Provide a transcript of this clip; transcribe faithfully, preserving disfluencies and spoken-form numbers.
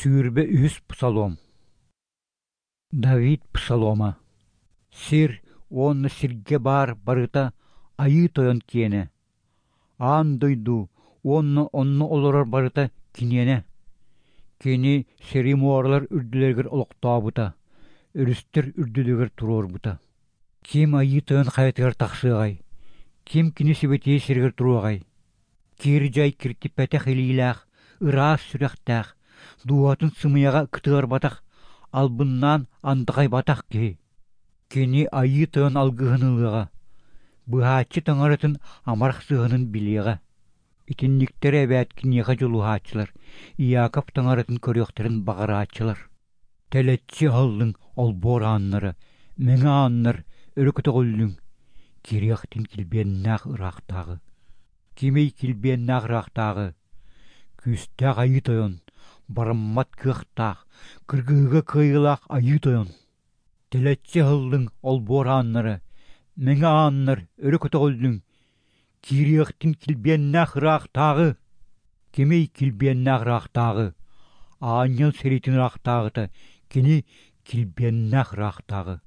Сүүрбэ үһүс псалом. Давид псалома. Сир уонна сиргэ баар барыта Айыы Тойон киэнэ. Аан дойду уонна онно олорор барыта киниэнэ. Кини сири муоралар үрдүлэригэр олохтообута, өрүстэр үрдүлэригэр туруорбута. Ким Айыы Тойон хайатыгар тахсыаҕай? Ким кини сибэтиэй сиригэр туруоҕай? Кир-дьай киртиппэтэх илиилээх, ыраас сүрэхтээх, дууһатын сымыйаҕа кытыарбатах, албыннаан андаҕайбатах киһи. Кини Айыы Тойон алгыһын ылыаҕа, быыһааччы таҥаратын амарах сыһыанын билиэҕэ. Итинниктэрэ эбээт киниэхэ дьулуһааччылар, Иаков таҥаратын көрүөхтэрин баҕарааччылар. Тэлэччи аһыллыҥ олбуор ааннара, мэҥэ ааннар өрө көтөҕүллүҥ, кириэхтин килбиэннээх ыраахтааҕы. Кимий килбиэннээх ыраахтааҕы? Күүстээх Айыы Тойон, бараммат кыахтаах, кыргыһыыга кыайыылаах Айыы Тойон. Тэлэччи аһыллыҥ олбуор ааннара, мэҥэ ааннар өрө көтөҕүллүҥ, киириэхтин килбиэннээх ыраахтааҕы. Кимий килбиэннээх ыраахтааҕы? Аанньал сэриитин ыраахтааҕыта, кини килбиэннээх ыраахтааҕы.